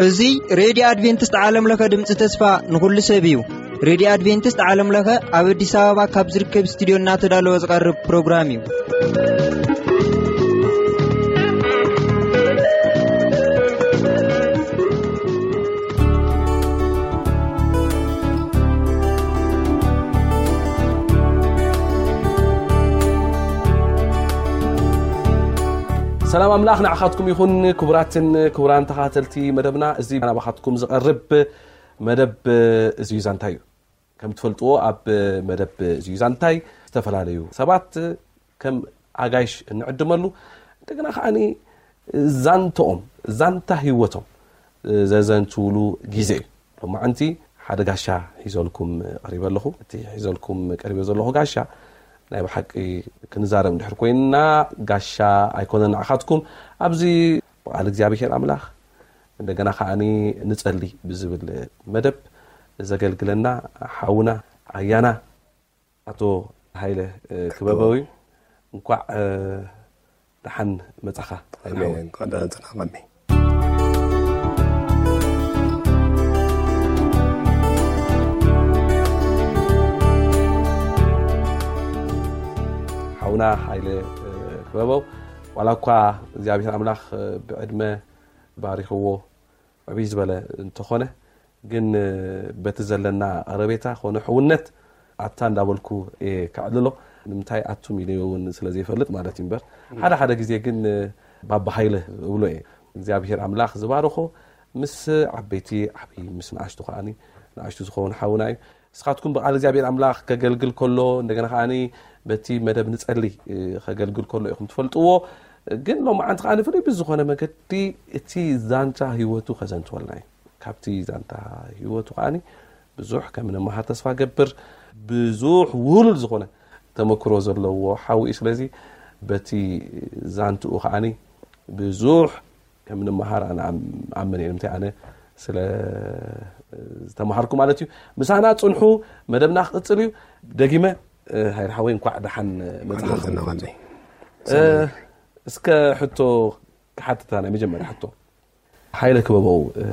እዚ ሬድዮ ኣድቬንቲስት ዓለም ለኸ ድምፂ ተስፋ ንኹሉ ሰብ እዩ። ሬድዮ ኣድቬንቲስት ዓለም ለኸ ኣብ ኣዲስ ኣበባ ካብ ዝርከብ ስቱዲዮ እናተዳለወ ዝቐርብ ፕሮግራም እዩ። ሰላም ኣምላኽ ንዓኻትኩም ይኹን። ክቡራትን ክቡራን ተኸታተልቲ መደብና፣ እዚ ናባኻትኩም ዝቐርብ መደብ እዚ እዩ ዛንታ እዩ። ከም ትፈልጥዎ፣ ኣብ መደብ እዚ እዩ ዛንታይ ዝተፈላለዩ ሰባት ከም ኣጋይሽ እንዕድመሉ፣ እንደገና ከዓኒ ዛንተኦም፣ ዛንታ ህይወቶም ዘዘንትውሉ ግዜ እዩ። ሎማዓንቲ ሓደ ጋሻ ሒዘልኩም ቀሪበ ኣለኹ። እቲ ሒዘልኩም ቀሪበ ዘለኹ ጋሻ ናይ ብሓቂ ክንዛረብ እንድሕር ኮይንና፣ ጋሻ ኣይኮነን ንዓኻትኩም። ኣብዚ ብቓል እግዚኣብሔር ኣምላኽ እንደገና ከዓኒ ንጸሊ ብዝብል መደብ ዘገልግለና ሓውና ኣያና ኣቶ ሃይለ፣ እ፣ ክበበው እዩ። እንኳዕ፣ እ፣ ደሓን መጻኻ። ኣሜን። እንኳዕ ደህና ጸናሕካኒ። ሓውና ሃይለ፣ እ፣ ክበበው፣ ዋላ እኳ እግዚኣብሔር ኣምላኽ፣ እ፣ ብዕድመ ባሪኽዎ ዕብይ ዝበለ እንተኾነ፣ ግን፣ እ፣ በቲ ዘለና ቀረቤታ ኮነ ሕውነት ኣታ እንዳበልኩ እየ ከዕልሎ። ንምንታይ ኣቱም ኢለ እውን ስለ ዘይፈልጥ ማለት እዩ እምበር፣ ሓደ ሓደ ግዜ ግን፣ እ፣ ባባ ሃይለ እብሎ እየ። እግዚኣብሔር ኣምላኽ ዝባረኾ ምስ ዓበይቲ ዓብዪ፣ ምስ ንኣሽቱ ከዓኒ ንኣሽቱ ዝኸውን ሓውና እዩ። ንስኻትኩም ብቓል እግዚኣብሔር ኣምላኽ ከገልግል ከሎ፣ እንደገና ከዓኒ በቲ መደብ ንጸሊ፣ እ፣ ከገልግል ከሎ ኢኹም ትፈልጥዎ። ግን ሎማዓንቲ ከዓኒ ፍሉይ ብዝኾነ መገዲ እቲ ዛንታ ህይወቱ ከዘንትወልና እዩ። ካብቲ ዛንታ ህይወቱ ከዓኒ ብዙሕ ከም ንመሃር ተስፋ ገብር። ብዙሕ ውህሉል ዝኾነ ተመክሮ ዘለዎ ሓው እዩ። ስለዚ በቲ ዛንትኡ ከዓኒ ብዙሕ ከም ንመሃር ኣነ ኣም-፣ ኣምን እየ። ንምንታይ ኣነ ስለ ዝተመሃርኩ ማለት እዩ። ምሳና ጽንሑ፣ መደብና ክቕጽል እዩ። ደጊመ፣ እ፣ ሃይለ ሓወይ እንኳዕ ደሓን መጻኻ። እንኳዕ ደሓን መጻኻ። እ፣ እስከ ሕቶ ክሓትታ፣ ናይ መጀመርያ ሕቶ። ሃይለ ክበበው፣ እ፣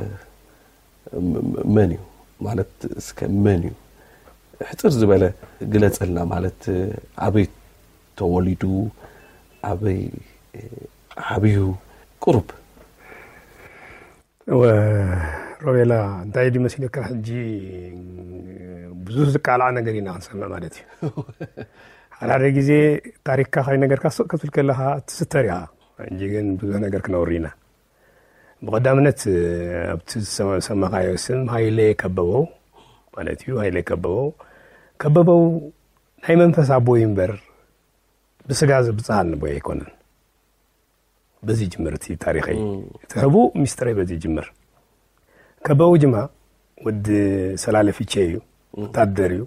ም-፣ መን እዩ? ማለት እስከ መን እዩ? ሕጽር ዝበለ ግለጸልና፣ ማለት ኣበይ ተወሊዱ፣ ኣበይ፣ እ፣ ዓብዩ? ቁሩብ። እወ፣ ሮቤላ፣ እንታይ ድዩ መሲሉካ፣ ሕጂ ብዙሕ ዝቃላዕ ነገር ኢና ክንሰምዕ ማለት እዩ። ሓደ ሓደ ግዜ ታሪክካ ከይነገርካ ስቕ ክትብል ከለኻ ትስተር ኢኻ። ሕጂ ግን ብዙሕ ነገር ክነውሪ ኢና። ብቐዳምነት፣ ኣብቲ ዝሰማ-፣ ዝሰማኻዮ ስም ሃይለ ከበበው ማለት እዩ። ሃይለ ከበበው፣ ከበበው ናይ መንፈስ ኣቦይ እምበር ብስጋ ዝብጽሓኒ ኣቦይ ኣይኮነን። በዚ ይጅምር እቲ ታሪኸይ። እም። እቲ ሕቡእ ሚስጥረይ በዚ ይጅምር። ከበበው ጅማ ወዲ ሰላለ ፊቼ እዩ። እም። ወታደር እዩ።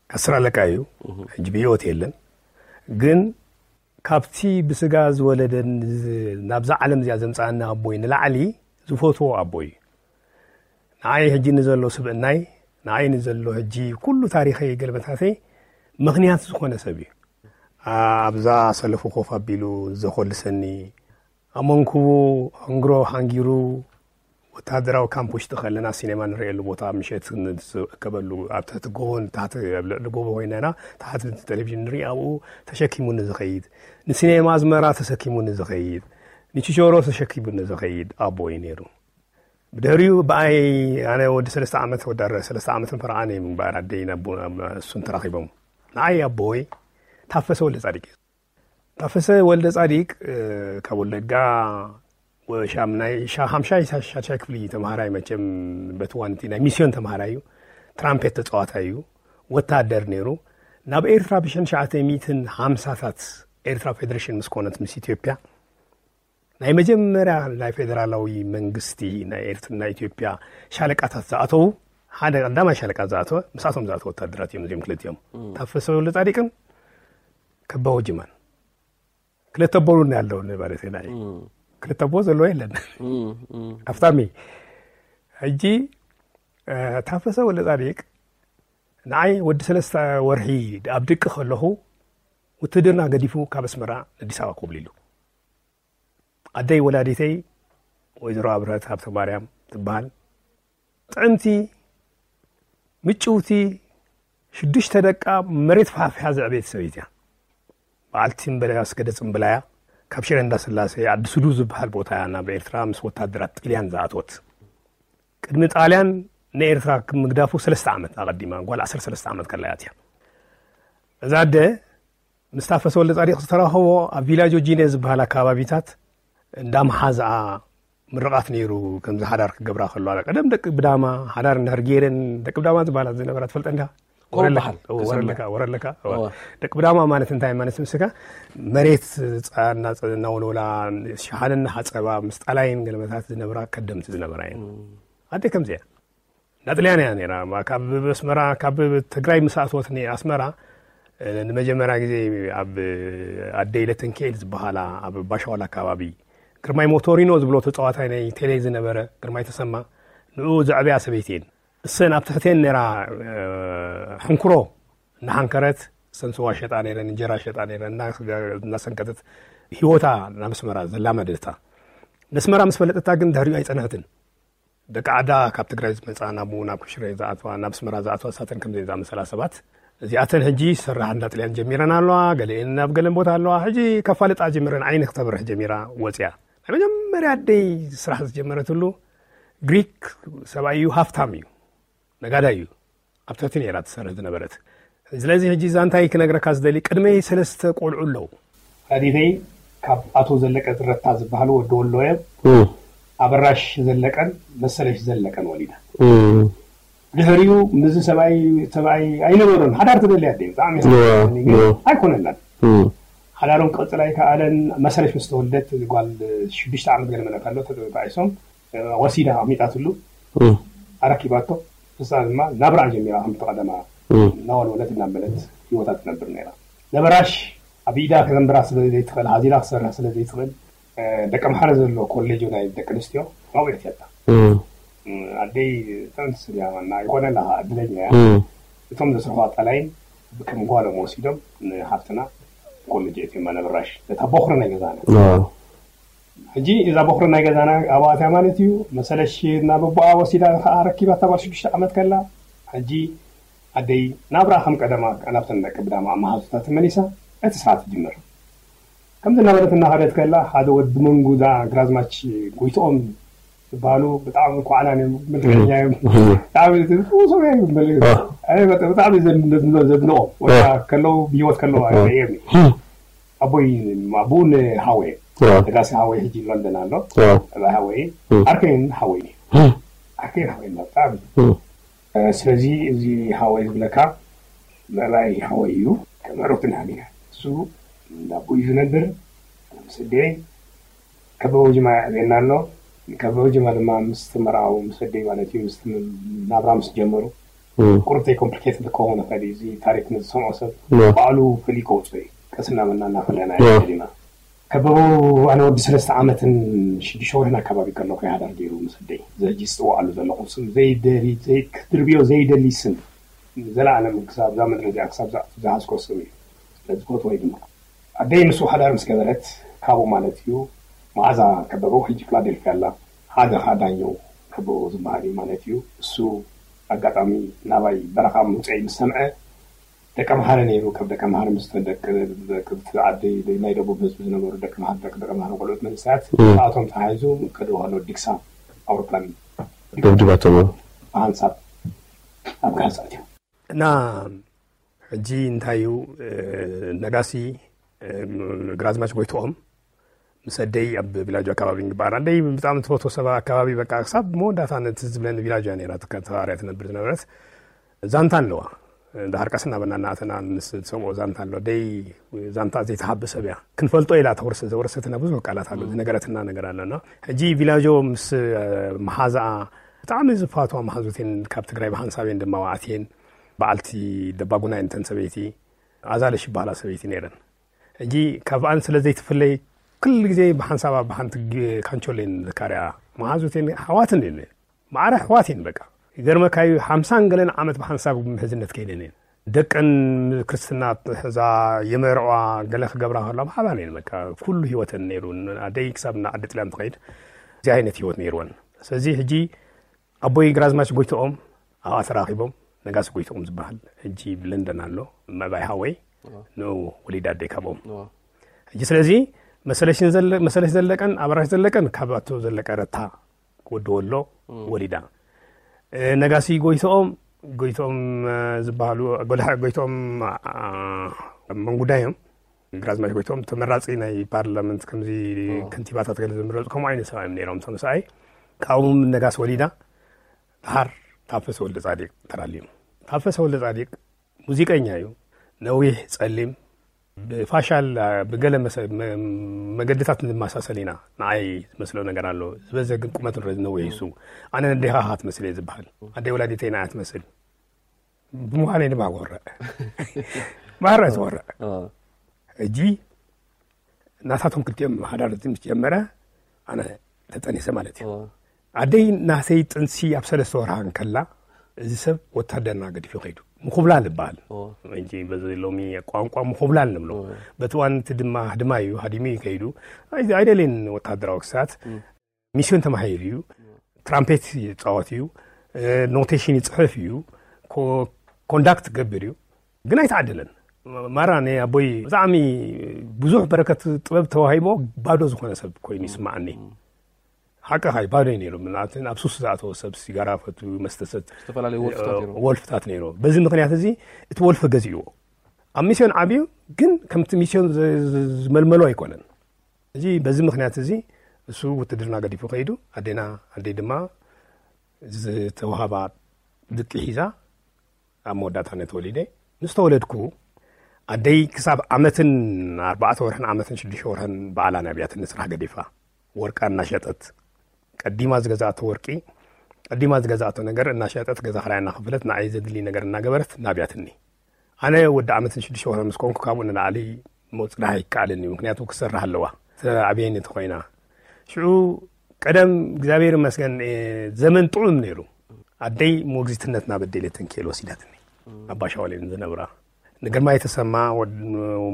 ዓስር ኣለቃ እዩ። እም። ሕጂ ብህይወት የለን። ግን ካብቲ ብስጋ ዝወለደን ዝ-፣ ናብዛ ዓለም እዚኣ ዘምጽኣኒ ኣቦይ ንላዕሊ ዝፈትዎ ኣቦይ እዩ። ንዓይ ሕጂ ንዘሎ ስብእናይ፣ ንዓይ ንዘሎ ሕጂ ኩሉ ታሪኸይ ገልበታተይ ምኽንያት ዝኾነ ሰብ እዩ። ኣ-፣ ኣብዛ ሰለፉ ኮፍ ኣቢሉ ዘኾልሰኒ፣ ኣብ መንኩቡ ሕንግሮ ሓንጊሩ፣ ወተሃደራዊ ካምፕ ውሽጢ ከለና ሲኔማ ንርእየሉ ቦታ ምሸት ንእከበሉ፣ ኣብ ትሕቲ ጎቦ፣ ታሕቲ ኣብ ልዕሊ ጎቦ ኮይና ኢና፣ ታሕቲ ቴሌቪዥን ንርኢ፣ ኣብኡ ተሸኪሙኒ ዝኸይድ፣ ንሲኔማ ኣዝመራ ተሰኪሙኒ ዝኸይድ፣ ንችቾሮ ተሸኪሙኒ ዝኸይድ ኣቦ እዩ ነይሩ። ብድሕሪኡ ብኣይ፣ ኣነ ወዲ ሰለስተ ዓመት፣ ወዲ ኣረ-፣ ሰለስተ ዓመትን ፈረቓን እዮም እምበኣር ኣደይ ናብ፣ ናብ እሱን ተራኺቦም። ንዓይ ኣቦይ ታፈሰ ወልደ ጻዲቅ እዩ። ታፈሰ ወልደ ጻዲቅ፣ እ፣ ካብ ወለጋ ወሻም ናይ ሻ-፣ ሓምሻይ ሳ-፣ ሻድሻይ ክፍሊ ተምሃራይ፣ መቸም በቲ ዋንቲ ናይ ሚስዮን ተምሃራይ እዩ። ትራምፔት ተጻዋታይ እዩ። ወታደር ነይሩ። ናብ ኤርትራ ብሽሕን ትሽዓተ ሚእትን ሓምሳታት ኤርትራ ፌደሬሽን ምስ ኮነት ምስ ኢትዮጵያ፣ ናይ መጀመርያ ናይ ፌደራላዊ መንግስቲ ናይ ኤርትራ፣ ናይ ኢትዮጵያ ሻለቃታት ዝኣተዉ፣ ሓደ ቀዳማይ ሻለቃ ዝኣተወ፣ ምስኣቶም ዝኣተወ ወታደራት እዮም እዚኦም ክልቲኦም። እም። ታፈሰ ወልደ ጻዲቅን ከበበው ጅማን። ክልተ ኣቦ ኣለኒ ማለት እዩ ናይ። እም። ክልተ ኣቦ ዘለዎ የለን። እም፣ እም። ሃፍታም እዩ። ሕጂ፣ እ፣ ታፈሰ ወልደ ጻዲቅ ንዓይ ወዲ ሰለስተ ወርሒ ኣብ ድቂ ከለኹ ውትድርና ገዲፉ ካብ ኣስመራ ኣዲስ ኣበባ ኮብሊሉ። ኣደይ ወላዲተይ ወይዘሮ ኣብርሀት ሃብተ ማርያም ትበሃል። ጥዕምቲ፣ ምጭውቲ፣ ሽዱሽተ ደቃ መሬት ፋሕፊሓ ዘዕበየት ሰበይቲ እያ። በዓልቲ እምበለ ኣስገደ ጽምብላያ ካብ ሽረ እንዳስላሴ ዓዲ ሱዱ ዝበሃል ቦታ እያ ናብ ኤርትራ ምስ ወታደራት ጥልያን ዝኣትወት። ቅድሚ ጣልያን ንኤርትራ ምግዳፉ ሰለስተ ዓመት ኣቐዲማ፣ ጓል ዓሰርተ ሰለስተ ዓመት ከላ እያ ኣትያ። እዛ ኣደ ምስ ታፈሰ ወልደ ጻዲቕ ዝተራኸቦ ኣብ ቪላጆ ጂኔ ዝበሃል ኣካባቢታት እንዳ መሓዝኣ ምርቓት ነይሩ። ከምዚ ሓዳር ክገብራ ከለዋ ቀደም ደቂ ብዳማ ሓዳር እንዳር ገይረን፣ ደቂ ብዳማ ዝበሃላ ዝነበራ ትፈልጠ እንዳ ከምኡ ወረለካ በሃል፣ እዎ፣ ክሰምዕ። ወረለካ ወረለካ እዎ። እዎ። ደቂ ብዳማ ማለት እንታይ ማለት ምስካ መሬት ጻ- እና- እናወለወላ ሸሓነ እናሓጸባ ምስ ጣላይን ገለመታት ዝነብራ ከደምቲ ዝነበራ እየን። ኣደ ከምዚያ ናጥልያን እያ ነይራ። ማ- ካብ ኣስመራ ካብ ትግራይ ምስ ኣትወት ኣስመራ እ፣ ንመጀመርያ ግዜ ኣብ ኣደይ ለተንክኤል ዝበሃላ ኣብ ባሻዋል ኣካባቢ ግርማይ ሞቶሪኖ ዝብሎ ተጻዋታይ ናይ ቴሌ ዝነበረ ግርማይ ተሰማ ንኡ ዘዕበያ ሰበይቲ እየን። እሰን ኣብ ትሕቴን ነይራ እ፣ ሕንኩሮ እናሓንከረት እሰን ስዋ ሸጣ ነይረን እንጀራ ሸጣ ነይረን እና- እናሰንከተት ህይወታ ናብ ኣስመራ ዘላመደታ። ነስመራ ምስ ፈለጠታ ግን ድሕሪኡ ኣይጸንሐትን። ደቂ ዓዳ ካብ ትግራይ ዝመፃ ናብኡ ናብ ክሽረ ዝኣትዋ ናብ ኣስመራ ዝኣትዋ እሳተን ከምዘይ ዝኣመሰላ ሰባት እዚኣተን ሕጂ ስራሕ እንዳጥልያን ጀሚረን ኣለዋ። ገለኤን ናብ ገለን ቦታ ኣለዋ። ሕጂ ከፋልጣ ጀሚረን ዓይኒ ክተብርሕ ጀሚራ ወፅያ። ናይ መጀመርያ ኣደይ ስራሕ ዝጀመረትሉ ግሪክ ሰብኣይ እዩ፣ ሃፍታም እዩ፣ ነጋዳይ እዩ። ኣብ ትሕቲ ነይራ ትሰርሕ ዝነበረት። ስለዚ ሕጂ እዛ እንታይ ክነግረካ ዝደሊ ቅድመይ ሰለስተ ቆልዑ ኣለዉ። ኣዲተይ ካብ ኣቶ ዘለቀ ዝረታ ዝበሃሉ ወዲ ወሎ እዮም። ኣበራሽ ዘለቀን መሰለሽ ዘለቀን ወሊዳ። ድሕሪኡ ምዚ ሰብኣይ ሰብኣይ ኣይነበሮን። ሓዳር ትደሊ ኣደ ብጣዕሚ ኣይኮነላን። ሓዳሮም ክቕፅል ኣይከኣለን። መሰለሽ ምስ ተወልደት ጓል ሽዱሽተ ዓመት ገለመለ ከሎ ተጣዒሶም ወሲዳ ኣሚጣትሉ ኣረኪባቶ። ንሳ ድማ ናብራ ጀሚራ ከምቲ ቀደማ እናወልወለት እናበለት ህይወታ ትነብር ነይራ። ነበራሽ ኣብ ኢዳ ከዘንብራ ስለ ዘይትኽእል፣ ሓዚላ ክሰርሕ ስለ ዘይትኽእል፣ ደቂ ኣምሓረ ዘሎ ኮሌጅ ናይ ደቂ ኣንስትዮ ኣብኡ የእትየታ። ኣደይ ጥዕምቲ ስድያ ዋና ይኾነላ፣ እድለኛ እያ። እቶም ዘስርሑ ኣጣላይን ከም ጓሎም ወሲዶም ንሓፍትና ኮሌጅ የእትዮማ። ነበራሽ ነታ ቦኽሪ ናይ ገዛና ሕጂ እዛ ቦኽሪ ናይ ገዛና ኣብኣትያ ማለት እዩ። መሰለሽ ናብ ኣቦኣ ወሲዳ ከዓ ረኪባታ ጓል ሽዱሽተ ዓመት ከላ። ሕጂ ኣደይ ናብራ ከም ቀደማ ናብተን ደቂ ብዳማ መሃዙታ ተመሊሳ እቲ ስርዓት ትጅምር። ከምዚ እናበለት እናኸደት ከላ ሓደ ወዲ መንጉዳ ግራዝማች ጎይትኦም ዝበሃሉ ብጣዕሚ ኳዕናን እዮም፣ ምልከኛ እዮም። ብጣዕሚ ጽቡቕ ሰብ እዮም። ብጣዕሚ ዘድንቖም ወላ ከለዉ ብህይወት ከለዉ ኣየም ኣቦይ ኣቦኡ ንሃወይ ነጋሲ ሃወይ ሕጂ ሎንደን ኣሎ። እዛ ሃወይ ኣርከይን ሃወይ ኣርከይን ሃወይ ብጣዕሚ። ስለዚ እዚ ሃወይ ዝብለካ ምዕራይ ሃወይ እዩ። ከም ዕሩክትን ሃሊና እሱ እንዳቦ እዩ ዝነብር። ምስ ኣደይ ከበበ ጅማ የዕብየና ኣሎ። ከበበ ጅማ ድማ ምስ ተመርዓው ምስ ኣደይ ማለት እዩ ምስ ናብራ ምስ ጀመሩ ቁርብ ኮምፕሊኬትድ ክኸውን ይኽእል እዩ። እዚ ታሪክ ንዝሰምዖ ሰብ ባዕሉ ፈሊዩ ከውፅኦ እዩ። ቀስ እናበልና እናፈለና ኢና። ከበበው ኣነ ወዲ ሰለስተ ዓመትን ሽዱሽተ ወርሕን ኣካባቢ ከለኹ ሓዳር ገይሩ ምስ ኣደይ። እዚ ሕጂ ዝፅውዓሉ ዘለኹ ስም ዘይደሊ ዘይክድርብዮ ዘይደሊ ስም ንዘለኣለም ክሳብ እዛ ምድሪ እዚኣ ክሳብ ዝኣቱ ዝሃዝኮ ስም እዩ። ስለዚ ዝፈትዎ እዩ ድማ ኣደይ ምስኡ ሓዳር ምስ ገበረት ካብኡ ማለት እዩ። መዓዛ ከበበው ሕጂ ፊላደልፊያ ኣላ። ሓደ ከዓ ዳኘው ከበበው ዝበሃል እዩ ማለት እዩ። እሱ ኣጋጣሚ ናባይ በረኻ ምውፅዐይ ምስ ሰምዐ ደቂ ኣምሓረ ነይሩ። ካብ ደቂ ኣምሓረ ምስ ደቂ ደቂ ዓዲ ናይ ደቡብ ህዝቢ ዝነበሩ ደቂ ኣምሓረ ደቂ ደቂ ኣምሓረ ቆልዑት መንእሰያት እም። እቶም ተሓይዙ ከደው ከሎ ዲክሳ ኣውሮፕላን ደብድባቶም። ብሓንሳብ ኣብ ጋህፃ እትዮም። እና ሕጂ እንታይ እዩ ነጋሲ ግራዝማች ጎይትኦም ምስ ኣደይ ኣብ ቪላጆ ኣካባቢ ንግባር ኣደይ ብጣዕሚ ትፈትዎ ሰብ ኣካባቢ በቃ ክሳብ መወዳእታ ነቲ ዝብለኒ ቪላጆ እያ ነይራ ተካተባርያ ትነብር ዝነበረት። ዛንታ ኣለዋ። እንዳ ሃርቀስ እናበልና እናኣተና ንሰምዖ ዛንታ ኣሎ። ኣደይ ዛንታ ዘይትሓብእ ሰብ እያ። ክንፈልጦ ኢላ ተወርሰ ዘወረሰትና ብዙሕ ቃላት ኣሎ ዝነገረትና ነገር ኣለና። ሕጂ ቪላጆ ምስ መሓዛኣ ብጣዕሚ ዝፋትዋ መሓዙት እየን። ካብ ትግራይ ብሓንሳብ እየን ድማ ኣትየን። በዓልቲ ደባጉና እየን እተን ሰበይቲ። ኣዛለሽ ይበሃላ ሰበይቲ ነይረን። ሕጂ ካብኣን ስለ ዘይትፍለይ ኩሉ ግዜ ብሓንሳብ ኣብ ሓንቲ ግ- ካንቾሌን ዘካርያ መሓዙቴን ሓዋትን እየን። ማዕረ ኣሕዋት እየን በቃ። ይገርመካ እዩ፣ ሓምሳን ገለን ዓመት ብሓንሳብ ምሕዝነት ከይደን እየን። ደቀን ክርስትና ሕዛ የመርዕዋ፣ ገለ ክገብራ ከሎ ብሓባር እየን። በቃ ኩሉ ህይወተን ነይሩ። ኣደይ ክሳብ ናብ ዓዲ ጥልያን ትኸይድ፣ እዚ ዓይነት ህይወት ነይርወን። ስለዚ ሕጂ ኣቦይ ግራዝማች ጎይትኦም ኣብኣ ተራኺቦም፣ ነጋሲ ጎይትኦም ዝበሃል ሕጂ ብለንደን ኣሎ፣ መባይ ሓወይ፣ ንኡ ወሊዳ ኣደይ ካብኦም። ሕጂ ስለዚ መሰለሽን ዘለ-፣ መሰለሽ ዘለቀን ኣበራሽ ዘለቀን ካብ ኣቶ ዘለቀ ረታ ወዲ ወሎ ወሊዳ። እ፣ ነጋሲ ጎይትኦም፣ ጎይትኦም፣ እ፣ ዝበሃሉ፣ ጎልሓ ጎይትኦም፣ አ፣ መንጉዳይ እዮም። ግራዝማች ጎይትኦም ተመራጺ ናይ ፓርላመንት ከምዚ ከንቲባታት ገለ ዝምረጹ ከምኡ ዓይነት ሰብኣይ እዮም ነይሮም። እቶም ሰብኣይ ካብኡ ነጋሲ ወሊዳ። ደሓር ታፈሰ ወልደ ጻዲቅ ተራልዩ። ታፈሰ ወልደ ጻዲቅ ሙዚቀኛ እዩ። ነዊሕ፣ ጸሊም፣ ብፋሻል፣ ብገለ መሰ-፣ መ-፣ መገድታት ንመሳሰል ኢና። ንዓይ ዝመስሎ ነገር ኣሎ። ዝበዘ ግን ቁመት ንረ-፣ ነዊሕ እዩ እሱ። ኣነ ነዴኻ ኢኻ ትመስል እየ ዝበሃል። ኣደይ ወላዲተይ ንዓይ ትመስል። ብምዃነይ ድማ ክወርዕ። ማራ ዝወርዕ። ሕጂ ናታቶም ክልቲኦም ሓዳር ምስ ጀመረ፣ ኣነ ተጠኒሰ ማለት እዩ። ኣደይ ናተይ ጥንሲ ኣብ ሰለስተ ወርሃ እንከላ፣ እዚ ሰብ ወታደርና ገዲፉ ከይዱ። ምኹብላል ይበሃል። ሕጂ በዚ ሎሚ ቋንቋ ምኹብላል ንብሎ። በቲ እዋን እቲ ድማ ህድማ እዩ፣ ሃዲሙ እዩ ከይዱ። ኣይ-፣ ኣይደልየን ወታደራዊ ክሳት። ሚስዮን ተማሂሩ እዩ። ትራምፔት ይጻወት እዩ። እ፣ ኖቴሽን ይጽሕፍ እዩ። ኮ-፣ ኮንዳክት ይገብር እዩ። ግን ኣይተዓደለን። ማራ ናይ ኣቦይ ብጣዕሚ ብዙሕ በረከት ጥበብ ተዋሂቦ፣ ባዶ ዝኾነ ሰብ ኮይኑ ይስምዓኒ። ሓቅኻ እዩ፣ ባዶ እዩ ነይሩ። ምናልባት ኣብ ሱስ ዝኣተወ ሰብ፣ ሲጋራ ፈትዩ፣ መስተ ሰት-፣ ዝተፈላለዩ ወልፍታት ነይሩ። ወልፍታት ነይሩ። በዚ ምኽንያት እዚ እቲ ወልፊ ገዚእዎ። ኣብ ሚስዮን ዓብዩ፣ ግን ከምቲ ሚስዮን ዝ-፣ ዝ-፣ ዝመልመሎ ኣይኮነን። እዚ፣ በዚ ምኽንያት እዚ እሱ ውትድርና ገዲፉ ከይዱ፣ ኣዴና፣ ኣደይ ድማ ዝተዋሃባ ድቂ ሒዛ ኣብ መወዳእታ እነ ተወሊደ። ምስ ተወለድኩ፣ ኣደይ ክሳብ ዓመትን ኣርባዕተ ወርሕን ዓመትን ሽዱሽተ ወርሕን ባዕላ ናብያትኒ ስራሕ ገዲፋ። ወርቃ እናሸጠት፣ ቀዲማ ዝገዛእቶ ወርቂ፣ ቀዲማ ዝገዛእቶ ነገር እናሸጠት፣ ገዛ ክራይ እናኸፈለት፣ ንዓይ ዘድሊ ነገር እናገበረት ናብያትኒ። ኣነ ወዲ ዓመትን ሽዱሽተ ወርሒ ምስ ኮንኩ፣ ካብኡ ንላዕሊ ምጽናሕ ኣይከኣልን እዩ። ምክንያቱ ክሰርሕ ኣለዋ። ተዓብየኒ እንተኾይና። ሽዑ ቀደም እግዚኣብሔር ይመስገን፣ እ፣ ዘመን ጥዑም ነይሩ። ኣደይ ሞግዚትነት ናብ ኣደይ ሌተንኬል ወሲዳትኒ። ኣባ ሻውል እየን ዝነብራ። ንግርማይ ተሰማ ወድ-፣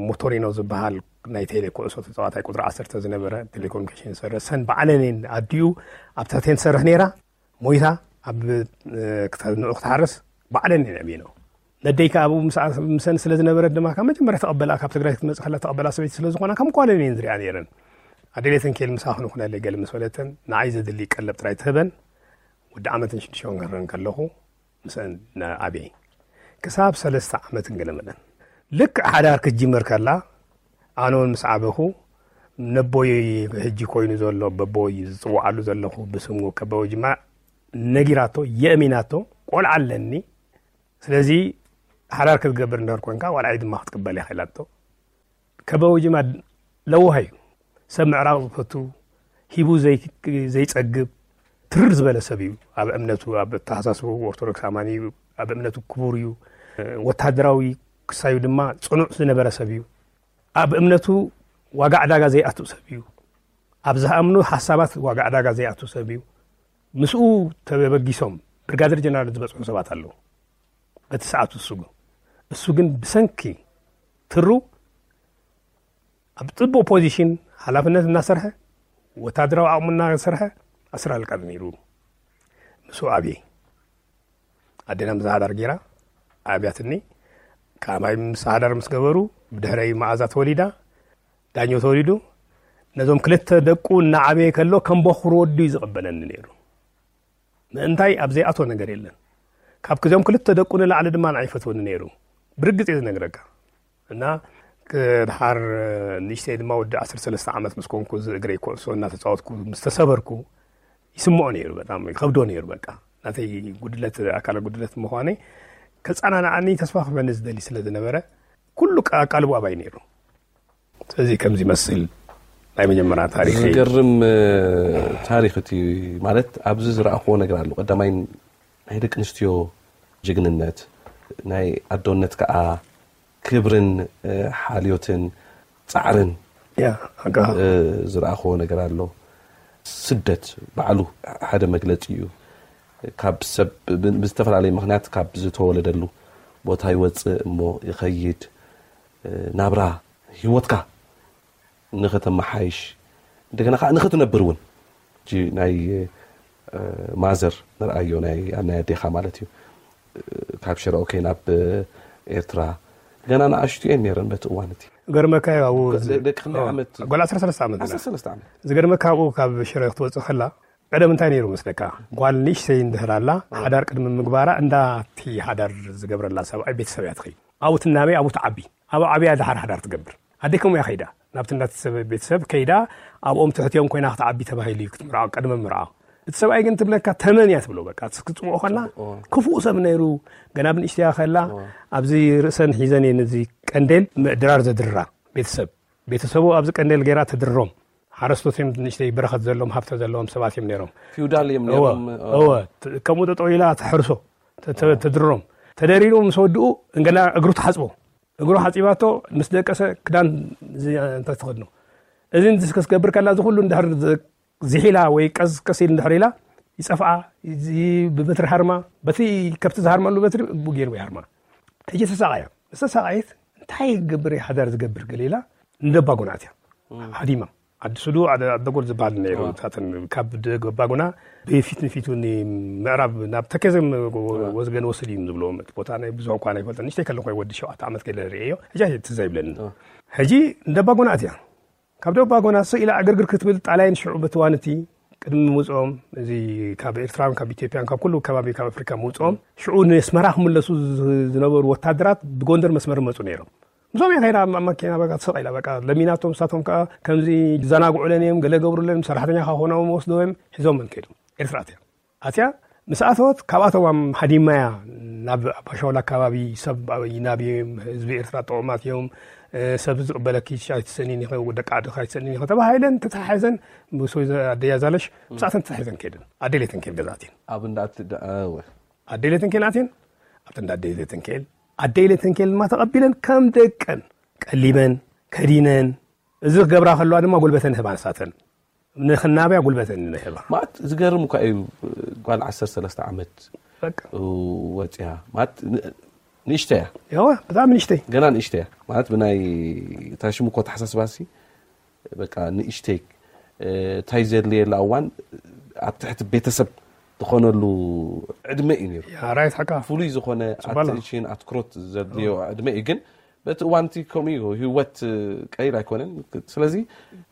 ሞቶሪኖ ዝበሃል ናይ ቴሌ ኩዕሶ ተጻዋታይ ቁጽሪ ዓሰርተ ዝነበረ ቴሌኮሙኒኬሽን ዝሰርሕ፣ ሰን ባዕለን እየን ኣዲኡ ኣብታ ቴን ትሰርሕ ነይራ። ሞይታ ኣብ፣ እ፣ ክተ-፣ ንዑ ክትሓርስ ባዕለን እየን ኣዕብየንኦ። ነደይ ከኣ ኣብኡ ምሳኣ-፣ ምሰን ስለ ዝነበረት ድማ ካብ መጀመርያ ተቐበላ፣ ካብ ትግራይ ክትመጽእ ከላ ተቐበላ ሰበይቲ ስለ ዝኾና ከም ጓለን እየን ዝሪኣ ነይረን። ኣደይ ሌተንኬል ምሳኺ ንኹነለይ ገለ ምስ በለተን ንዓይ ዘድሊ ቀለብ ጥራይ ትህበን። ወዲ ዓመትን ሽዱሽተ ወርሕን ከለኹ ምስአን ዓብየ። ክሳብ ሰለስተ ዓመትን ገለ መለን። ልክዕ ሓዳር ክትጅምር ከላ፣ ኣነ እውን ምስ ዓበኹ፣ ነቦይ ሕጂ ኮይኑ ዘሎ፣ በቦይ ዝጽውዓሉ ዘለኹ ብስሙ ከበቦ ጅማ ነጊራቶ፣ የእሚናቶ፣ ቆልዓ ኣለኒ። ስለዚ ሓዳር ክትገብር እንድሕር ኮንካ፣ ቆልዓይ ድማ ክትቅበል ኢኻ ኢላቶ። ከበቦ ጅማ ለዋህ እዩ። ሰብ ምዕራቕ ዝፈቱ፣ ሂቡ ዘይ-፣ ዘይጸግብ፣ ትርር ዝበለ ሰብ እዩ። ኣብ እምነቱ፣ ኣብ ኣተሓሳስብኡ ኦርቶዶክስ ኣማኒ እዩ። ኣብ እምነቱ ክቡር እዩ። ወታደራዊ ክሳዩ ድማ ጽኑዕ ዝነበረ ሰብ እዩ። ኣብ እምነቱ ዋጋ ዕዳጋ ዘይኣቱ ሰብ እዩ። ኣብ ዝኣምኑ ሓሳባት ዋጋ ዕዳጋ ዘይኣቱ ሰብ እዩ። ምስኡ ተበጊሶም ብርጋደር ጀነራል ዝበጽሑ ሰባት ኣለዉ። በቲ ሰዓት እሱ ግን፣ እሱ ግን ብሰንኪ ትሩ ኣብ ጽቡቕ ፖዚሽን ሓላፍነት እናሰርሐ፣ ወታደራዊ ዓቕሙ እናሰርሐ፣ ኣስር ኣለቃ ነይሩ። ምስኡ ኣብየ። ኣዴና ምዛ ሓዳር ገይራ ኣብያትኒ። ከማይ ምስ ሓዳር ምስ ገበሩ፣ ብድሕረይ መኣዛ ተወሊዳ፣ ዳኞ ተወሊዱ። ነዞም ክልተ ደቁ እናዓበየ ከሎ፣ ከም በኹር ወዱ እዩ ዝቕበለኒ ነይሩ። ምእንታይ ኣብ ዘይኣቶ ነገር የለን። ካብ ክዞም ክልተ ደቁ ንላዕሊ ድማ ንዓይ ይፈትወኒ ነይሩ። ብርግጽ እየ ዝነግረካ። እና ክድሓር ንእሽተይ ድማ ወዲ ዓሰርተ ሰለስተ ዓመት ምስ ኮንኩ፣ እዚ እግረይ ኩዕሶ እናተጻወትኩ ምስ ተሰበርኩ፣ ይስምዖ ነይሩ፣ በጣም ይኸብዶ ነይሩ። በቃ ናተይ ጉድለት፣ ኣካለ ጉድለት ምዃነይ ከጸናንዓኒ፣ ተስፋ ክህበኒ ዝደሊ ስለ ዝነበረ፣ ኩሉ ኣቃልቦ ኣባይ ነይሩ። ስለዚ ከምዚ ይመስል ናይ መጀመርያ ታሪኸይ። ዝገርም፣ እ፣ ታሪኽ እቲ፣ ማለት ኣብዚ ዝረኣኽዎ ነገር ኣሎ። ቀዳማይ ናይ ደቂ ኣንስትዮ ጅግንነት፣ ናይ ኣዶነት ከኣ ክብርን፣ እ፣ ሓልዮትን ጻዕርን፣ ያ፣ ኣጋ። እ፣ ዝረኣኽዎ ነገር ኣሎ። ስደት ባዕሉ ሓደ መግለጺ እዩ። ካብ ሰብ ብዝተፈላለየ ምኽንያት ካብ ዝተወለደሉ ቦታ ይወፅእ እሞ ይኸይድ። ናብራ ህይወትካ ንኸተመሓይሽ፣ እንደገና ከዓ ንኸትነብር እውን። ናይ ማዘር ንርኣዮ፣ ናይ ኣዴኻ ማለት እዩ። ካብ ሽረ ኦኬ ናብ ኤርትራ ገና ንኣሽቱ እየን ነይረን በቲ እዋን እቲ። ገርመካ እዩ ኣብኡ። ደቂ ክንደይ ዓመት? ጓል ዓሰርተ ሰለስተ ዓመት። ዓሰርተ ሰለስተ ዓመት። ዝገርመካ ኣብኡ ካብ ሽረ ክትወፅእ ከላ ቀደም እንታይ ነይሩ መስለካ? ጓል ንእሽተይ እንድሕር ኣላ፣ ሓዳር ቅድሚ ምግባራ እንዳቲ ሓዳር ዝገብረላ ሰብኣይ ቤተሰብ እያ ትኸይድ። ኣብኡ ትናበይ፣ ኣብኡ ትዓቢ። ኣብኡ ዓብያ ድሓር ሓዳር ትገብር። ኣደይ ከምኡ እያ ከይዳ። ናብቲ እንዳቲ ሰብ ቤተሰብ ከይዳ ኣብኦም ትሕትዮም ኮይና ክትዓቢ ተባሂሉ እዩ ክትምርዖ፣ ቅድሚ ምርዖ። እቲ ሰብኣይ ግን ትብለካ ተመን እያ ትብሎ። በቃ ክትጽምኦ ከላ ክፉእ ሰብ ነይሩ። ገና ብንእሽተያ ከላ ኣብዚ ርእሰን ሒዘን እየን እዚ ቀንዴል ድራር ዘድርራ። ቤተሰብ ቤተሰቡ ኣብዚ ቀንዴል ገይራ ተድርሮም። ሓረስቶት እዮም፣ ንእሽተይ በረኸት ዘለዎም ሃብተ ዘለዎም ሰባት እዮም ነይሮም። ፊውዳል እዮም ነይሮም። እወ፣ ከምኡ ጠጠው ኢላ ተሕርሶ፣ ተድሮም። ተደሪሩ ምስ ወድኡ እንገላ እግሩ ትሓፅቦ። እግሩ ሓፂባቶ ምስ ደቀሰ ክዳን እንታይ ትኸድኖ። እዚ እንድስ ክትገብር ከላ እዚ ኩሉ እንድሕር ዝሒላ ወይ ቀስ ቀስ ኢል እንድሕር ኢላ ይፀፍኣ። ብበትሪ ሃርማ፣ በቲ ከብቲ ዝሃርመሉ በትሪ ብኡ ገይሩ ይሃርማ። ሕጂ ተሳቃያ። ዝተሳቃየት እንታይ ይገብር ሓዳር ዝገብር ገለ ኢላ ንደባጎና ኣትያ። ሃዲማ ዓዲ ሱዱ ኣደጎል ዝበሃል ነይሩ። ታተን ካብ ደባጎና ብፊት ንፊቱ ምዕራብ ናብ ተከዘ ወዝገን ወስድ እዩ ዝብሎ። ቦታ ናይ ብዙ እኳ ኣይፈልጠን። ንእሽተይ ከለኹ ወዲ ሸውዓተ ዓመት ገለ ርእዮ። ሕጂ ትዝ ኣይብለኒ። ሕጂ ንደባጎና ኣትያ። ካብ ደባጎና ስቕ ኢላ ዕግርግር ክትብል ጣልያን ሽዑ በቲ ዋንቲ ቅድሚ ምውፅኦም፣ እዚ ካብ ኤርትራን ካብ ኢትዮጵያን ካብ ኩሉ ከባቢ ካብ ኣፍሪካ ምውፅኦም ሽዑ ንስመራ ክምለሱ ዝነበሩ ወታደራት ብጎንደር መስመር መፁ ነይሮም። ምስኦም እየ ከይዳ ኣብ ማኪና በቃ ትስቕ ኢላ በቃ ለሚናቶም። ንሳቶም ከዓ ከምዚ ዝዘናግዑለን እዮም፣ ገለ ገብሩለን፣ ሰራሕተኛ ካብ ኮኖም ወስደዎም ሒዞም ከይዶም ኤርትራ ኣትያ። ኣትያ ምስ ኣተወት ካብኣቶም ሃዲማያ ናብ ኣባሻውላ ኣካባቢ ሰብ ይናብዮም፣ ህዝቢ ኤርትራ ጥዑማት እዮም፣ ሰብ ዝቕበለኪ ኣይትሰኒን ኢኸ፣ ደቂ ዓድኻ ኣይትሰኒን ኢኸ ተባሂለን ተተሓሒዘን ምስ ኣደያ ዛለሽ ምስኣተን ተተሓሒዘን ከይደን ኣደሌተን ከይድ ገዛእትን ኣብ እንዳት ኣደሌተን ከይድ ኣትን ኣብቲ እንዳ ኣደሌተን ከይድ ኣደሌተን ከይድ ድማ ተቐቢለን ከም ደቀን ቀሊበን ከዲነን እዚ ክገብራ ከለዋ ድማ ጉልበተን ህባ ንሳተን ንኽናብያ ጉልበት ንህባ። ማለት ዝገርም እኳ እዩ። ጓል ዓሰርተ ሰለስተ ዓመት በቃ ወፅያ ማለት ንእሽተያ ያዋ ብጣዕሚ ንእሽተይ ገና ንእሽተያ ማለት ብናይ ታሽሙ እኮ ተሓሳስባሲ በቃ ንእሽተይ እንታይ ዘድልየላ እዋን ኣብ ትሕቲ ቤተሰብ ዝኾነሉ ዕድመ እዩ ነይሩ። ራይት ሓቃ ፍሉይ ዝኾነ ጽባላ። ኣቴንሽን ኣትኩሮት ዘድልዮ ዕድመ እዩ። ግን በቲ እዋን እቲ ከምኡ እዩ ህይወት ቀሊል ኣይኮነን። ስለዚ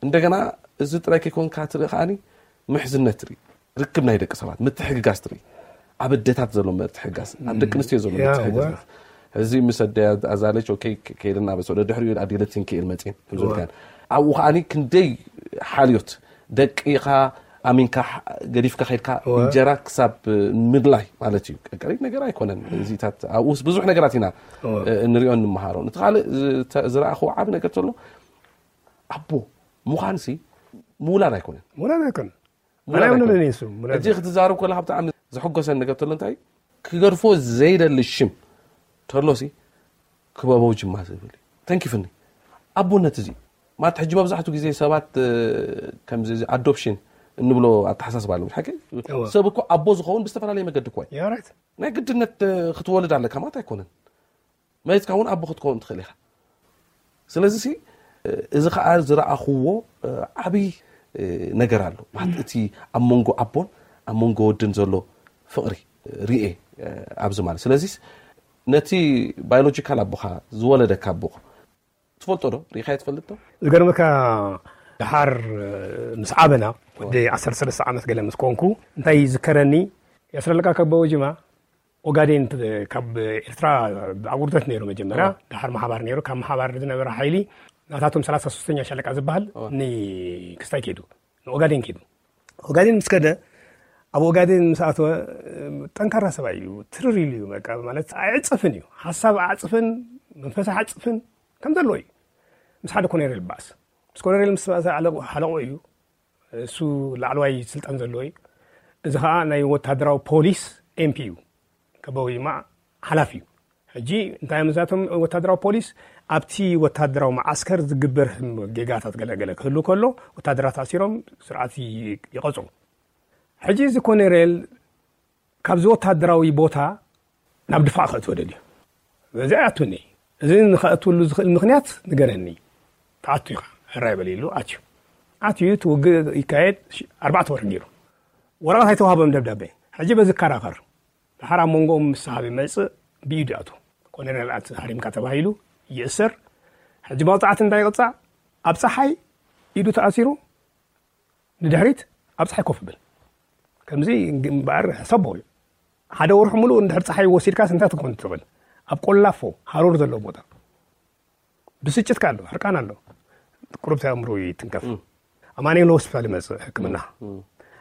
እንደገና እዚ ጥራይ ከይኮንካ ትርኢ ከዓኒ ምሕዝነት ትርኢ፣ ርክብ ናይ ደቂ ሰባት ምትሕግጋዝ ትርኢ፣ ኣብ ኣደታት ዘሎ ምትሕግጋዝ፣ ኣብ ደቂ ኣንስትዮ ዘሎ ያ፣ ምትሕግጋዝ ዋ። እዚ ምስ ኣደ ኣዛለች ኦኬ ከይደን ኣብ ሰደ ድሕሪኡ ኣዴለትን ክእል መፅን ከምዝልካን ኣብኡ ከዓኒ ክንደይ ሓልዮት ደቂኻ ኣሚንካ ገዲፍካ ከይድካ እወ። እንጀራ ክሳብ ምድላይ ማለት እዩ። ቀሪብ ነገር ኣይኮነን። እዚታት ኣብኡስ ብዙሕ ነገራት ኢና እወ። እንሪኦ እንመሃሮ። እቲ ካልእ ዝተ- ዝረኣኽዎ ዓብ ነገር ተሎ ኣቦ ምዃንሲ ምውላድ ኣይኮነን። ሙላድ ኣይኮን ሙላድ ኣነ ኣይኮነን። ምንን ይሱ ሙላድ እዚ ክትዛረብ ከለካ ብጣዕሚ ዘሐጎሰን ነገር ተሎ እንታይ ክገድፎ ዘይደሊ ሽም ተሎሲ ክበበው ጅማ ዝብል እዩ። ተንኪፍኒ ኣቦነት እዚ ማለት ሕጂ መብዛሕቱ ግዜ ሰባት እ፣ ከምዚ እዚ ኣዶፕሽን እንብሎ ኣተሓሳስባ ኣሎ ሓቂ እወ። ሰብ እኮ ኣቦ ዝኸውን ብዝተፈላለየ መገዲ እኮ እዩ። ያራይት ናይ ግድነት እ፣ ክትወልድ ኣለካ ማለት ኣይኮነን። መሬትካ እውን ኣቦ ክትከውን ትኽእል ኢኻ። ስለዚ ሲ እ፣ እዚ ከዓ ዝረኣኽዎ እ፣ ዓብይ እ፣ ነገር ኣሎ ማለት እቲ ኣብ መንጎ ኣቦን ኣብ መንጎ ወድን ዘሎ ፍቕሪ እ፣ ርኤ እ፣ ኣብዚ ማለት ስለዚ ነቲ ባዮሎጂካል ኣቦኻ ዝወለደካ ኣቦኻ ትፈልጦ ዶ ርኢኻዮ ትፈልጥ ዶ? ዝገርመካ ድሓር ምስ ዓበና ወዲ ዓሰርተ ሰለስተ ዓመት ገለ ምስ ኮንኩ እንታይ ይዝከረኒ የስረለካ ከበወ ጅማ ኦጋዴን ት- ካብ ኤርትራ ኣብ ውርደት ነይሩ መጀመርያ እዋ። ድሓር መሓባር ነይሩ ካብ መሓባር ዝነበረ ሓይሊ ናታቶም ሰላሳ ሶስተኛ ሻለቃ ዝበሃል እዋ። ንክስታይ ከይዱ ንኦጋዴን ከይዱ ኦጋዴን ምስ ከደ ኣብ ኦጋዴን ምስ ኣተወ ጠንካራ ሰብኣይ እዩ ትርር ኢሉ እዩ በቃ ማለት ኣይዕፅፍን እዩ ሓሳብ ኣዕፅፍን መንፈስ ኣዕፅፍን ከም ዘለዎ እዩ ምስ ሓደ ኮነሬል ባእስ ምስ ኮነሬል ምስ ባእስ ሓለቆ ሓለቆ እዩ እሱ ላዕለዋይ ስልጣን ዘለዎ እዩ እዚ ከዓ ናይ ወታደራዊ ፖሊስ ኤምፒ እዩ ከበው ይማ ሓላፊ እዩ ሕጂ እንታይ እዮም እዛቶም ወታደራዊ ፖሊስ ኣብቲ ወታደራዊ መዓስከር ዝግበር ጌጋታት ገለገለ ክህሉ ከሎ ወታደራት ኣሲሮም ስርዓት ይቐፅሩ ሕጂ እዚ ኮነሬል ካብዚ ወታደራዊ ቦታ ናብ ድፋዕ ከእትወ ደልዩ። በዚ ኣይኣቱኒ። እዚ ንኸእትውሉ ዝኽእል ምኽንያት ንገረኒ። ተኣቱ ኢኻ፣ ሕራይ በል ኢሉ ኣትዩ። ኣትዩ፣ እቲ ውግእ ይካየድ፣ ሽ-፣ ኣርባዕተ ወርሒ ገይሩ። ወረቐት ኣይተዋህቦም ደብዳቤ። ሕጂ በዚ ይከራኸር። ድሓር ኣብ መንጎኦም ምስ ሃቢ መጽእ ብኢዱ ይኣቱ። ኮሎኔል ኣት ሃሪምካ ተባሂሉ ይእሰር። ሕጂ መቕጻዕቲ እንታይ ይቕጻዕ? ኣብ ጸሓይ ኢዱ ተኣሲሩ ንድሕሪት ኣብ ጸሓይ ኮፍ ይብል። ከምዚ እምበኣር ሕሰቦ እዩ። ሓደ ወርሒ ሙሉእ እንድሕር ጸሓይ ወሲድካስ እንታይ ትኾን ትኽእል? ኣብ ቆላፎ ሃሩር ዘለዎ ቦታ። ብስጭት ከ ኣሎ፣ ሕርቃን ኣሎ። ቁሩብ ኣእምሮ ይትንከፍ። እም። ኣማኑኤል ሆስፒታል ይመጽእ ሕክምና። እም።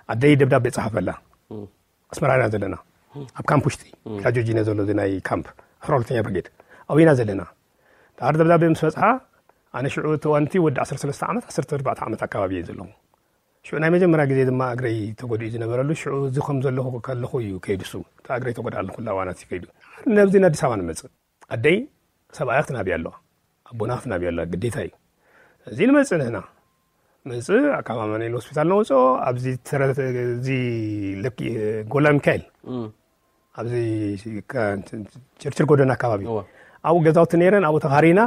ኣደይ ደብዳቤ ጸሓፈላ። እም። ኣስመራ ኢና ዘለና። ኣብ ካምፕ ውሽጢ፣ እም። ግራጆጂነ ዘሎ እዚ ናይ ካምፕ፣ ኣስራ ሁለተኛ ብርጌድ። ኣብኡ ኢና ዘለና። ድሓር ደብዳቤ ምስ በጽሓ፣ ኣነ ሽዑ እቲ እዋንቲ ወዲ ዓሰርተ ሰለስተ ዓመት፣ ዓሰርተ ኣርባዕተ ዓመት ኣካባቢ እየ ዘለኹ። ሽዑ ናይ መጀመርያ ግዜ ድማ እግረይ ተጎዲኡ ዝነበረሉ፣ ሽዑ እዚ ከም ዘለኹ ከለኹ እዩ ከይዱ እሱ። እታ እግረይ ተጎድኣሉ ኩላ እዋናት እዩ ከይዱ። ነብዚ ንኣዲስ ኣበባ ንመጽእ። ኣደይ ሰብኣያ ክትናብያ ኣለዋ። ኣቦና ክትናብያ ኣለዋ። ግዴታ እዩ። እዚ ንመጽእ ንሕና። መጽእ ካብ ኣማኑኤል ሆስፒታል ነውፅኦ። ኣብዚ ተረ-፣ እዚ ለኪ-፣ ጎላ ሚካኤል። እም። ኣብዚ ከ-፣ ችርችር ጎደና ኣካባቢ። እወ። ኣብኡ ገዛውቲ ነይረን፣ ኣብኡ ተኻሪና።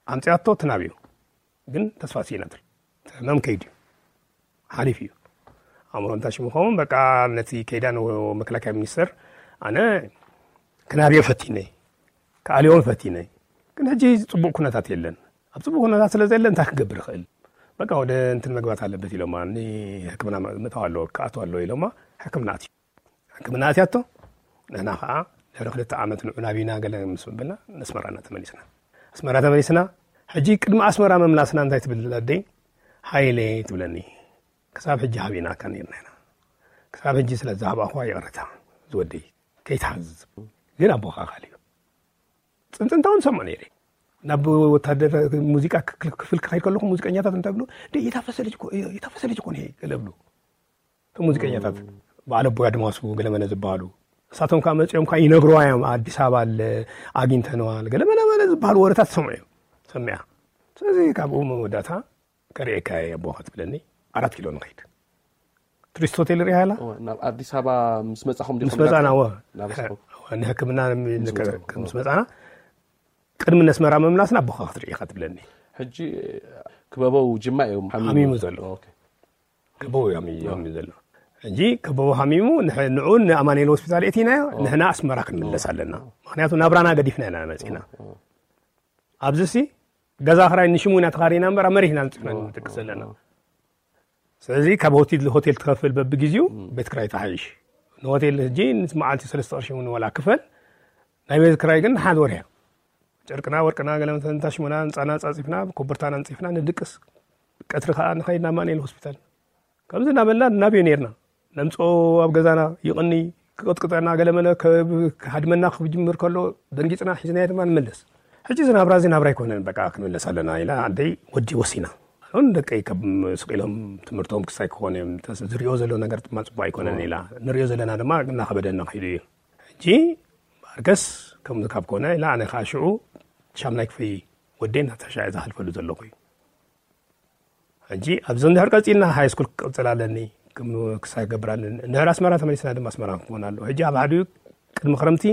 ኣምፅኣቶ ትናብዮ። ግን ተስፋ ስኢና ትብል። እቲ ህመም ከይዱ እዩ። ሓሊፉ እዩ። ኣእምሮ እንታይ ሽሙ ኸውን፣ በቃ ነቲ ከይዳ ንመከላከያ ሚኒስተር ኣነ ክናብዮ ፈቲነ፣ ክኣልዮም ፈቲነ። ግን ሕጂ ጽቡቕ ኩነታት የለን። ኣብ ጽቡቕ ኩነታት ስለ ዘየለ እንታይ ክገብር ይኽእል? በቃ ወደ እንትን መግባት ኣለበት ኢሎማ፣ ንሕክምና ምእታው ኣለዎ፣ ክኣትው ኣለዎ ኢሎማ፣ ሕክምና ኣትዩ። ሕክምና ኣትያቶ፣ ንሕና ኸዓ ድሕሪ ክልተ ዓመት ንዑ ናቢና ገለ ምስ በልና፣ ንኣስመራና ተመሊስና። ኣስመራ ተመሊስና፣ ሕጂ ቅድሚ ኣስመራ ምምላስና እንታይ ትብል ኣደይ? ሃይለ ትብለኒ። ክሳብ ሕጂ ሃቢናካ ነይርና ኢና። ክሳብ ሕጂ ስለ ዝሃባእኹዋ ይቕረታ ዝወደይ፣ ከይትሓዝዝ። ግን ኣቦኻ ኣኻሊ እዩ። ጽንጽንታ እውን ሰምዖ ነይረ። ናብ ወታደር ሙዚቃ ክፍል ክኸይድ ከለኹ ሙዚቀኛታት እንታይ ብሉ? "ደይ፣ የታፈሰ ልጅ እኮ፣ የታፈሰ ልጅ እኮ ነው ይሄ" ገለ ብሉ። እቶም ሙዚቀኛታት በዓል ኣቦይ ኣድማሱ ገለመለ ዝበሃሉ፣ እሳቶም ከኣ መጺኦም ከኣ ይነግሩዋ እዮም። "ኣዲስ ኣበባ ኣለ፣ ኣግኝተንዋል" ገለመለ ዝበሃሉ ወረታት ሰምዑ እዮም፣ ሰሚዓ። ስለዚ ካብኡ መወዳእታ "ከርእየካ እየ ኣቦኻ" ትብለኒ፣ ኣራት ኪሎ ንኸይድ። ቱሪስት ሆቴል ርኢኻ ኣላ? እወ፣ ናብ ኣዲስ ኣበባ ምስ መጻኹም ዲኹም ምስ መጻና፣ ናብ እወ። ናብ ስፖርት? እወ፣ ንሕክምና ምስ መጻኹም፣ ምስ መጻና፣ ቅድሚ ነስመራ ምምላስና ኣቦኻ ክትርኢ ኢኻ ትብለኒ። ሕጂ ክበበው ጅማ እዮም ሓሚሙ። ሓሚሙ ዘሎ። ኦኬ። ከበው እዩ ሓሚሙ፣ ሓሚሙ ዘሎ። ሕጂ ከበው ሓሚሙ፣ ንሕ-፣ ንዑ ንኣማኑኤል ሆስፒታል እቲናዮ፣ ኦ። ንሕና ኣስመራ ክንምለስ ኦ። ኣለና። ምኽንያቱ ናብራና ገዲፍና ኢና መጺና። ኦ። ኣብዚ ሲ ገዛ ክራይ ንሽሙ ኢና ተኻሪና እምበር፣ ኣብ መሬት ኢና ንጽሕና ኦ። ንድቅስ ዘለና። ኦ። ስለዚ ካብ ሆቴል፣ ሆቴል ትኸፍል በብግዜኡ፣ ም። ቤት ክራይ ትሓይሽ። ንሆቴል ሕጂ ምስ መዓልቲ ሰለስተ ቅርሺ እውን ዋላ ክፈል፣ ናይ ቤት ክራይ ግን ሓደ ወርሒ እያ። ጨርቅና፣ ወርቅና፣ ገለ መተ-፣ እንታሽሙና፣ ህንጻና ጻጺፍና፣ ኮበርታና ኣንጺፍና ንድቅስ። ቀትሪ ከኣ ንኸይድ ናብ ኣማኑኤል ሆስፒታል። ከምዚ እናበልና ንናብዮ ነይርና። ነምጽኦ ኣብ ገዛና ይቕኒ፣ ክቕጥቅጠና፣ ገለመለ ከ-፣ ክሃድመና ክጅምር ከሎ፣ ደንጊጽና ሒዝናዮ ድማ ንመለስ። ሕጂ እዚ ናብራ እዚ ናብራ ኣይኮነን፣ በቃ ክንምለስ ኣለና ኢላ ኣደይ ወዲ ወሲና። ኣሁን ደቀይ ካብ ስቕ ኢሎም ትምህርቶም ክሳይ ክኾኑ እዮም፣ ተስ-፣ ዝሪኦ ዘሎ ነገር ድማ ጽቡቕ ኣይኮነን ኢላ። ንሪኦ ዘለና ድማ እናኸበደና ከይዱ እዩ። ሕጂ ማርከስ ከምዚ ካብ ኮነ ኢላ፣ ኣነ ኸዓ ሽዑ ሻምናይ ክፍሊ ወደይ ናተሻ እየ ዝሓልፈሉ ዘለኹ እዩ። ሕጂ ኣብዚ እንድሕር ቀጺልና ሃይ ስኩል ክቕጽል ኣለኒ፣ ክም-፣ ክሳይ ክገብር ኣለኒ። እንድሕር ኣስመራ ተመሊስና ድማ ኣስመራ ክንኮን ኣለዎ። ሕጂ ኣብ ሓዲኡ ቅድሚ ክረምቲ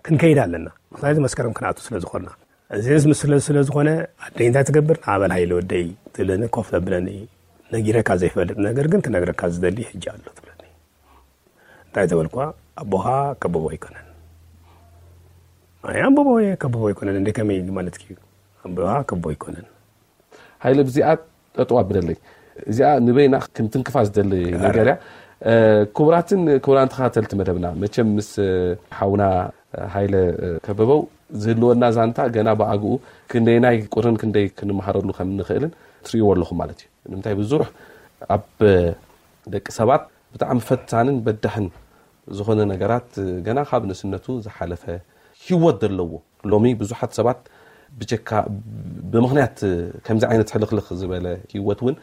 ክንከይድ ኣለና። ምኽንያቱ መስከረም ክንኣቱ ስለ ዝኾንና። እዚ ምስ ስለ፣ ስለ ዝኾነ ኣደይ እንታይ ትገብር? "ንኣበል ሃይለ ወደይ" ትብለኒ፣ ኮፍ ተብለኒ። "ነጊረካ ዘይፈልጥ ነገር ግን ክነግረካ ዝደሊ ሕጂ ኣሎ" ትብለኒ። እንታይ ተበልኳ? "ኣቦኻ ከበቦ ኣይኮነን." "ኣይ ኣቦቦ ከበቦ ኣይኮነን፣ እንደ ከመይ ማለትኪ እዩ? ኣቦኻ ከበቦ ኣይኮነን." ሃይለ፣ ብዚኣ ጠጠው ኣብለለይ። እዚኣ ንበይና ክንትንክፋ ዝደሊ ኣረ። ነገር እያ። እ፣ ክቡራትን ክቡራን ተኸታተልቲ መደብና፣ መቸም ምስ፣ እ፣ ሓውና፣ እ፣ ሃይለ፣ እ፣ ከበበው ዝህልወና ዛንታ ገና ብኣግኡ ክንደይናይ ቁርን ክንደይ ክንመሃረሉ ከም እንኽእልን ትርእይዎ ኣለኹም ማለት እዩ። ንምንታይ ብዙሕ ኣብ ደቂ ሰባት ብጣዕሚ ፈታንን በዳሕን ዝኾነ ነገራት ገና ካብ ንእስነቱ ዝሓለፈ ህይወት ዘለዎ። ሎሚ ብዙሓት ሰባት ብጀካ፣ ብምኽንያት ከምዚ ዓይነት ሕልኽልኽ ዝበለ ህይወት እውን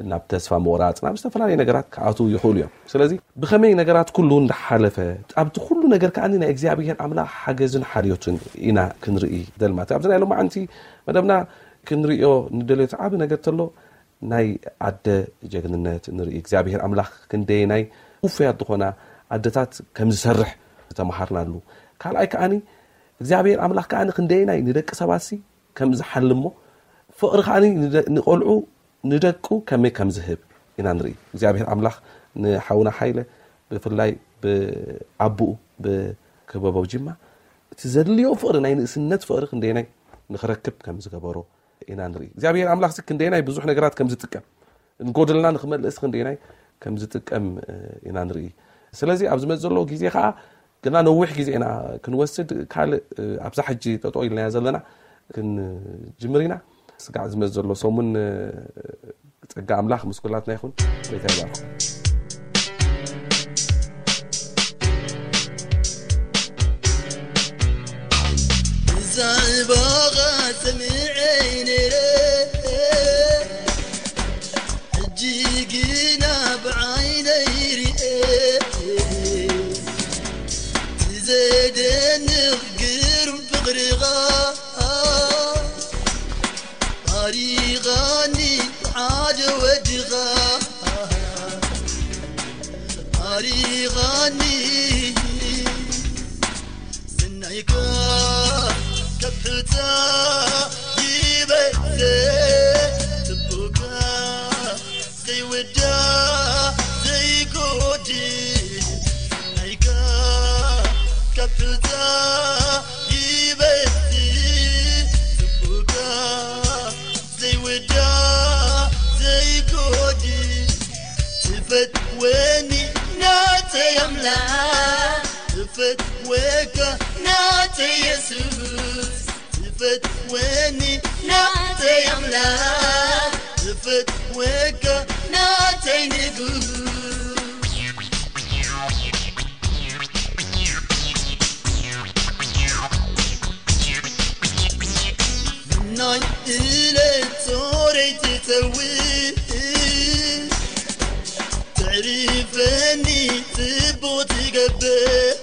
ናብ ተስፋ ምቑራጽ፣ ናብ ዝተፈላለዩ ነገራት ክኣትዉ ይኽእሉ እዮም። ስለዚ ብኸመይ ነገራት ኩሉ እንዳሓለፈ፣ ኣብቲ ኩሉ ነገር ከኣ ናይ እግዚኣብሔር ኣምላኽ ሓገዝን ሓልዮትን ኢና ክንርኢ ደልማት። ኣብዚ ናይ ሎማዓንቲ መደብና ክንርእዮ ንደልዮ እቲ ዓቢ ነገር ተሎ፣ ናይ ኣደ ጀግንነት ንርኢ። እግዚኣብሔር ኣምላኽ ክንደየናይ ውፉያት ዝኾና ኣደታት ከም ዝሰርሕ ዝተምሃርናሉ። ካልኣይ ከዓኒ እግዚኣብሔር ኣምላኽ ከዓኒ ክንደየናይ ንደቂ ሰባትሲ ከም ዝሓልሞ፣ ፍቕሪ ከዓኒ ንደ-፣ ንቖልዑ ንደቁ ከመይ ከም ዝህብ ኢና ንርኢ። እግዚኣብሔር ኣምላኽ ንሓውና ሓይለ ብፍላይ ብኣቦኡ ብክበበው ጅማ እቲ ዘድልዮ ፍቕሪ፣ ናይ ንእስነት ፍቕሪ ክንደየናይ ንኽረክብ ከም ዝገበሮ ኢና ንርኢ። እግዚኣብሔር ኣምላኽሲ ክንደየናይ ብዙሕ ነገራት ከም ዝጥቀም፣ ንጎደልና ንኽመልእስ ክንደየናይ ከም ዝጥቀም፣ እ፣ ኢና ንርኢ። ስለዚ ኣብ ዝመጽእ ዘሎ ግዜ ከኣ ግና ነዊሕ ግዜ ኢና ክንወስድ፣ ካልእ፣ እ፣ ኣብዛ ሕጂ ጠጠው ኢልናያ ዘለና ክንጅምር ኢና። ስጋዕ ዝመጽእ ዘሎ ሰሙን፣ እ፣ ጸጋ ኣምላኽ ምስ ኩላትና ይኹን። ጎይታ ይባርኩም። ብዛዕባኻ ሰሚዐ ነይረ፣ ሕጂ ግና ብዓይነይ ርኤ። እቲ ዘደንቕ ግርም ፍቕርኻ ኣሪኻኒ ሓደ ወድኻ ኣሪኻኒ። ስናይካ ከብሕታ ይበዘ ጽቡካ ዘይወዳ ዘይጎዲ። ስናይካ ከብሕታ ይበዝ ጽቡካ ዘይወዳ ዘይጎዲ። ትፈትወኒ ናተይ ኣምላኽ፣ ትፈትወካ ናተይ የሱስ። ትፈትወኒ ናተይ ኣምላኽ፣ ትፈትወካ ናተይ ንጉስ። ናይ እለት ጾረይ ትተውእ፣ ትዕርፈኒ ጽቡቕ ትገብር።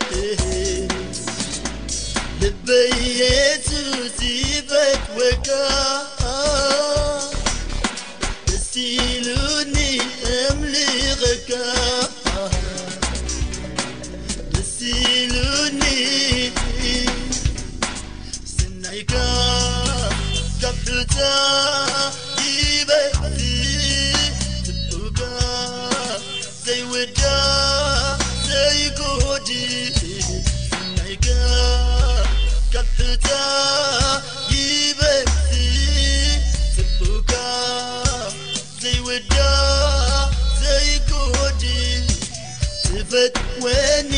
ልበይ የሱስ ይፈትወካ፣ ደስ ኢሉኒ እምልኸካ፣ ደስ ኢሉኒ። ስናይካ ከብታ ይበቲ ጽቡካ ዘይውዳ ዘይጎዲ። ስናይካ ከብታ ይበቲ ጽቡካ ዘይውዳ ዘይጎዲ። ትፈትወኒ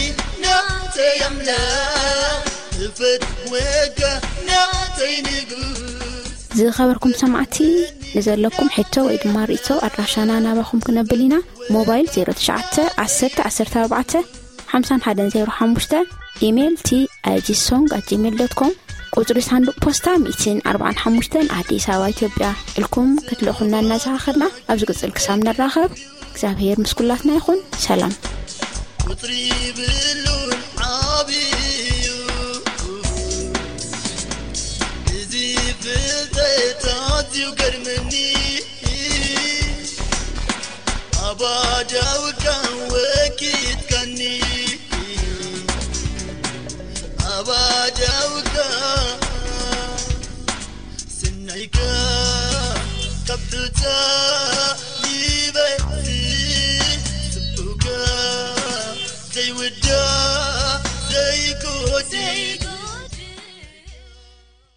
ናተይ ኣምላኽ፣ ትፈትወካ ናተይ ንጉስ። ዝኸበርኩም ሰማዕቲ፣ ንዘለኩም ሕቶ ወይ ድማ ርእቶ ኣድራሻና ናባኹም ክነብል ኢና። ሞባይል ዜሮ ትሽዓተ ዓሰርተ ዓሰርተ ኣርባዕተ ሓምሳን ሓደን ዜሮ ሓሙሽተ፣ ኢሜይል ቲ ኣይ ጂ ሶንግ ኣት ጂሜይል ዶት ኮም፣ ቁጽሪ ሳንዱቕ ፖስታ ሚእትን ኣርባዓን ሓሙሽተን፣ ኣዲስ ኣበባ፣ ኢትዮጵያ ኢልኩም ክትልእኹልና እናዘኻኸርና፣ ኣብ ዝቕጽል ክሳብ ንራኸብ እግዚኣብሔር ምስ ኩላትና ይኹን። ሰላም። ቁጽሪ ይብሉን ዓብዩ እዚ ፍልጠት ኣዝዩ ገርመኒ። ኣባዳውካ ወኪትካ